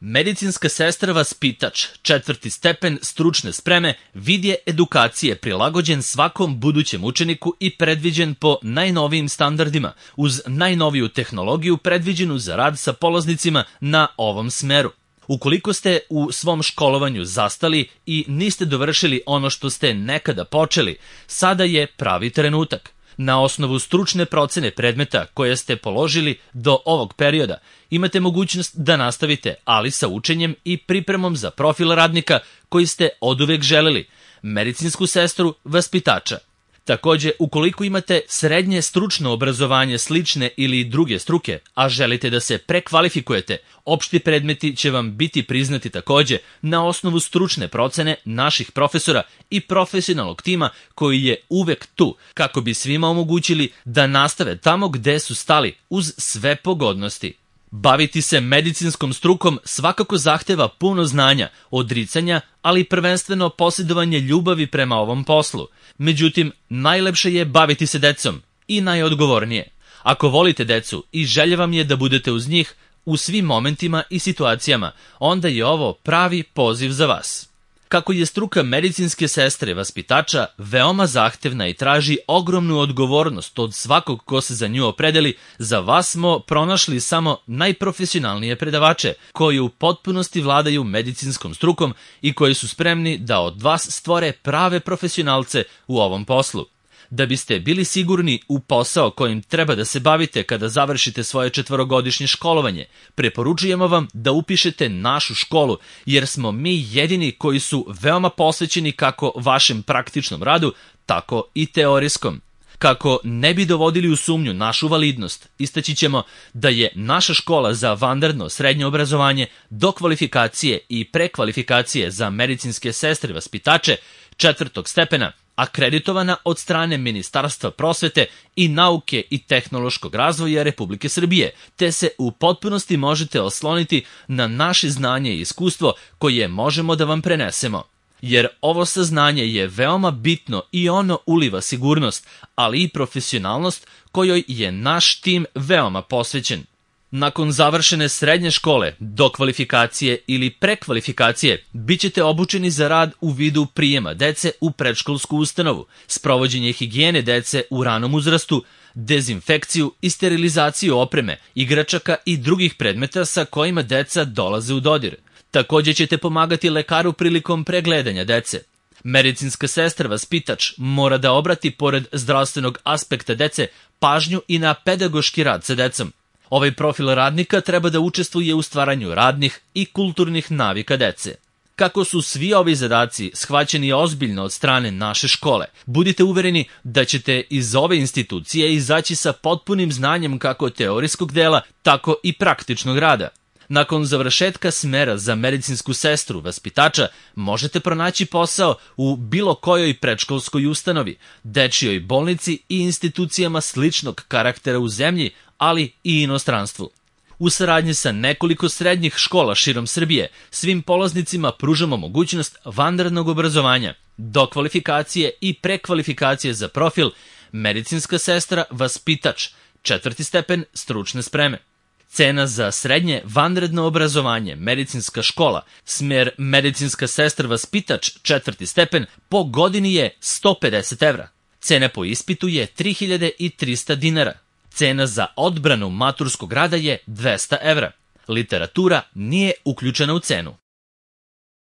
Medicinska sestra vaspitač, 4. stepen stručne spreme, vid je edukacije prilagođen svakom budućem učeniku i predviđen po najnovijim standardima, uz najnoviju tehnologiju predviđenu za rad sa polaznicima na ovom smeru. Ukoliko ste u svom školovanju zastali i niste dovršili ono što ste nekada počeli, sada je pravi trenutak. Na osnovu stručne procene predmeta koje ste položili do ovog perioda, imate mogućnost da nastavite, ali sa učenjem i pripremom za profil radnika koji ste oduvek želeli, medicinsku sestru vaspitača. Takođe, ukoliko imate srednje stručno obrazovanje slične ili druge struke, a želite da se prekvalifikujete, opšti predmeti će vam biti priznati takođe na osnovu stručne procene naših profesora i profesionalnog tima koji je uvek tu, kako bi svima omogućili da nastave tamo gde su stali, uz sve pogodnosti. Baviti se medicinskom strukom svakako zahteva puno znanja, odricanja, ali prvenstveno posjedovanje ljubavi prema ovom poslu. Međutim, najlepše je baviti se decom i najodgovornije. Ako volite decu i želja vam je da budete uz njih u svim momentima i situacijama, onda je ovo pravi poziv za vas. Kako je struka medicinske sestre vaspitača veoma zahtevna i traži ogromnu odgovornost od svakog ko se za nju opredeli, za vas smo pronašli samo najprofesionalnije predavače koji u potpunosti vladaju medicinskom strukom i koji su spremni da od vas stvore prave profesionalce u ovom poslu. Da biste bili sigurni u posao kojim treba da se bavite kada završite svoje 4-godišnje školovanje, preporučujemo vam da upišete našu školu, jer smo mi jedini koji su veoma posvećeni kako vašem praktičnom radu, tako i teorijskom. Kako ne bi dovodili u sumnju našu validnost, istaći ćemo da je naša škola za vanredno srednje obrazovanje, dokvalifikacije i prekvalifikacije za medicinske sestre vaspitače 4. stepena akreditovana od strane Ministarstva prosvete i nauke i tehnološkog razvoja Republike Srbije, te se u potpunosti možete osloniti na naše znanje i iskustvo koje možemo da vam prenesemo. Jer ovo saznanje je veoma bitno i ono uliva sigurnost, ali i profesionalnost kojoj je naš tim veoma posvećen. Nakon završene srednje škole, dokvalifikacije ili prekvalifikacije, bit ćete obučeni za rad u vidu prijema dece u predškolsku ustanovu, sprovođenje higijene dece u ranom uzrastu, dezinfekciju i sterilizaciju opreme, igračaka i drugih predmeta sa kojima deca dolaze u dodir. Takođe ćete pomagati lekaru prilikom pregledanja dece. Medicinska sestra vaspitač mora da obrati, pored zdravstvenog aspekta dece, pažnju i na pedagoški rad sa decom. Ovaj profil radnika treba da učestvuje u stvaranju radnih i kulturnih navika dece. Kako su svi ovi zadaci shvaćeni ozbiljno od strane naše škole, budite uvereni da ćete iz ove institucije izaći sa potpunim znanjem kako teorijskog dela, tako i praktičnog rada. Nakon završetka smera za medicinsku sestru vaspitača možete pronaći posao u bilo kojoj predškolskoj ustanovi, dečijoj bolnici i institucijama sličnog karaktera u zemlji, ali i inostranstvu. U saradnji sa nekoliko srednjih škola širom Srbije, svim polaznicima pružamo mogućnost vanrednog obrazovanja, dokvalifikacije i prekvalifikacije za profil medicinska sestra vaspitač, 4. stepen stručne spreme. Cena za srednje vanredno obrazovanje, medicinska škola, smer medicinska sestra vaspitač, 4. stepen, po godini je 150 evra. Cena po ispitu je 3300 dinara. Cena za odbranu maturskog rada je 200 evra. Literatura nije uključena u cenu.